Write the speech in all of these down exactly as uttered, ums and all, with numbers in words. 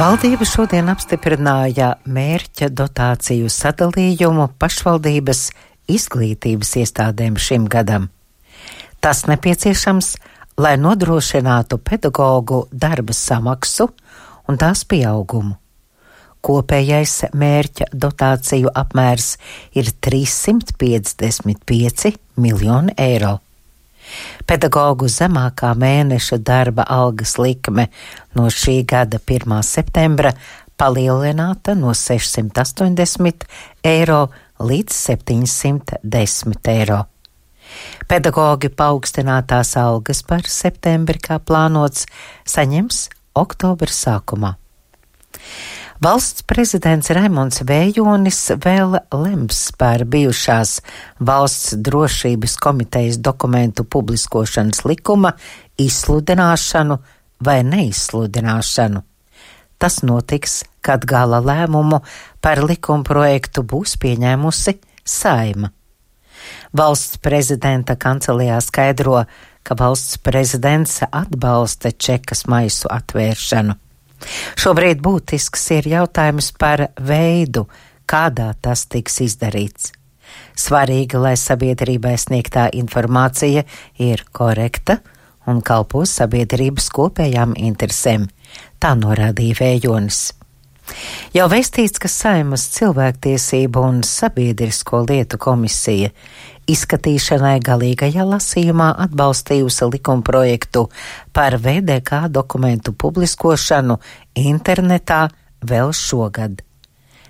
Valdība šodien apstiprināja mērķa dotāciju sadalījumu pašvaldības izglītības iestādēm šim gadam. Tas nepieciešams, lai nodrošinātu pedagogu darba samaksu un tās pieaugumu. Kopējais mērķa dotāciju apmērs ir trīssimt piecdesmit pieci miljoni eiro. Pedagogu zemākā mēneša darba algas likme no šī gada pirmā septembra palielināta no sešsimt astoņdesmit eiro līdz septiņsimt desmit eiro. Pedagogi paaugstinātās algas par septembri, kā plānots, saņems oktobra sākumā. Valsts prezidents Raimonds Vējonis vēl lems par bijušās Valsts drošības komitejas dokumentu publiskošanas likuma izsludināšanu vai neizsludināšanu. Tas notiks, kad gala lēmumu par likumprojektu būs pieņēmusi Saeima. Valsts prezidenta kancelejā skaidro, ka valsts prezidents atbalsta čekas maisu atvēršanu. Šobrīd būtisks ir jautājums par veidu, kādā tas tiks izdarīts. Svarīgi, lai sabiedrībai sniegtā informācija ir korekta un kalpo sabiedrības kopējām interesēm, tā norādīja Vējonis. Jau vēstīts, ka Saeimas cilvēktiesību un sabiedrisko lietu komisija izskatīšanai galīgajā lasījumā atbalstījusi likumprojektu par V D K dokumentu publiskošanu internetā vēl šogad.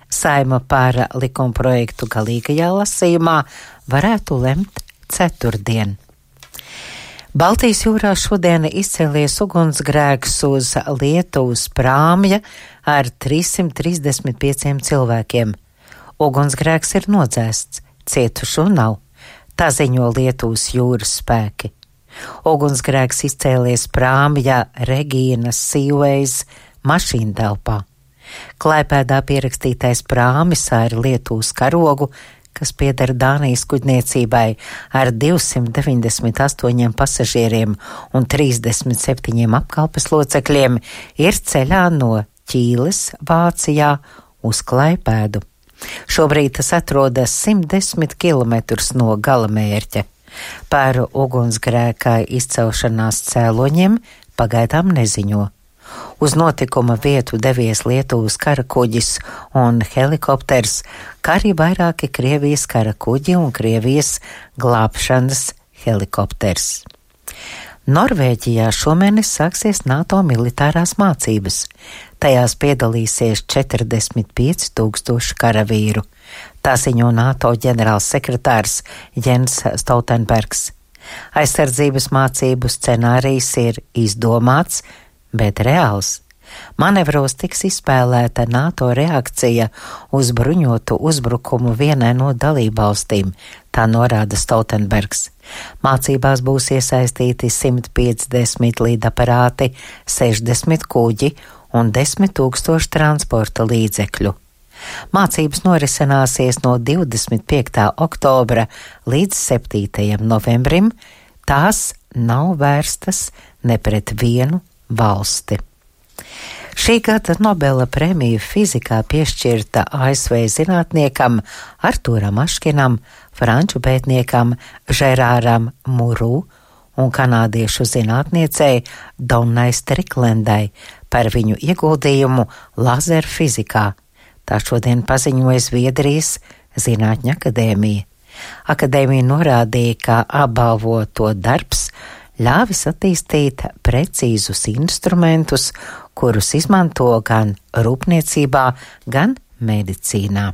Saeima par likumprojektu galīgajā lasījumā varētu lemt ceturtdien. Baltijas jūrā šodien izcēlies ugunsgrēks uz Lietuvas prāmja ar trīssimt trīsdesmit pieciem cilvēkiem. Ugunsgrēks ir nodzēsts, cietušo nav. Tā ziņo Lietuvas jūras spēki. Ugunsgrēks izcēlies prāmja Regīnas Seaways mašīntelpā. Klaipēdā pierakstītais prāmis ar Lietuvas karogu, kas pieder Dānijas kuģniecībai ar divsimt deviņdesmit astoņiem pasažieriem un trīsdesmit septiņiem apkalpes locekļiem, ir ceļā no Ķīles, Vācijā, uz Klaipēdu. Šobrīd tas atrodas simt desmit kilometrus no galamērķa. Par ugunsgrēka izcelšanās cēloņiem pagaidām neziņo. Uz notikuma vietu devies Lietuvas karakuģis un helikopters, kā arī vairāki Krievijas karakuģi un Krievijas glābšanas helikopters. Norvēģijā šomēnes sāksies NATO militārās mācības. Tajās piedalīsies četrdesmit pieci tūkstoši karavīru. Tā ziņo NATO ģenerālsekretārs Jens Stoltenbergs. Aizsardzības mācību scenārijs ir izdomāts, bet reāls. Manevros tiks izspēlēta NATO reakcija uz bruņotu uzbrukumu vienai no dalībvalstīm, tā norāda Stoltenbergs. Mācībās būs iesaistīti simt piecdesmit līdaparāti, sešdesmit kuģi un desmit tūkstoši transporta līdzekļu. Mācības norisināsies no divdesmit piektā oktobra līdz septītajam novembrim. Tās nav vērstas ne pret vienu valsti. Šī gada Nobela prēmija fizikā piešķirta A S V zinātniekam Artūram Aškinam, franču pētniekam Žerāram Muru un kanādiešu zinātniecei Donnai Striklendai par viņu ieguldījumu lazerfizikā. Tā šodien paziņoja Zviedrijas Zinātņu akadēmija. Akadēmija norādīja, ka apbalvoto darbs ļāvis attīstīt precīzus instrumentus, kurus izmanto gan rūpniecībā, gan medicīnā.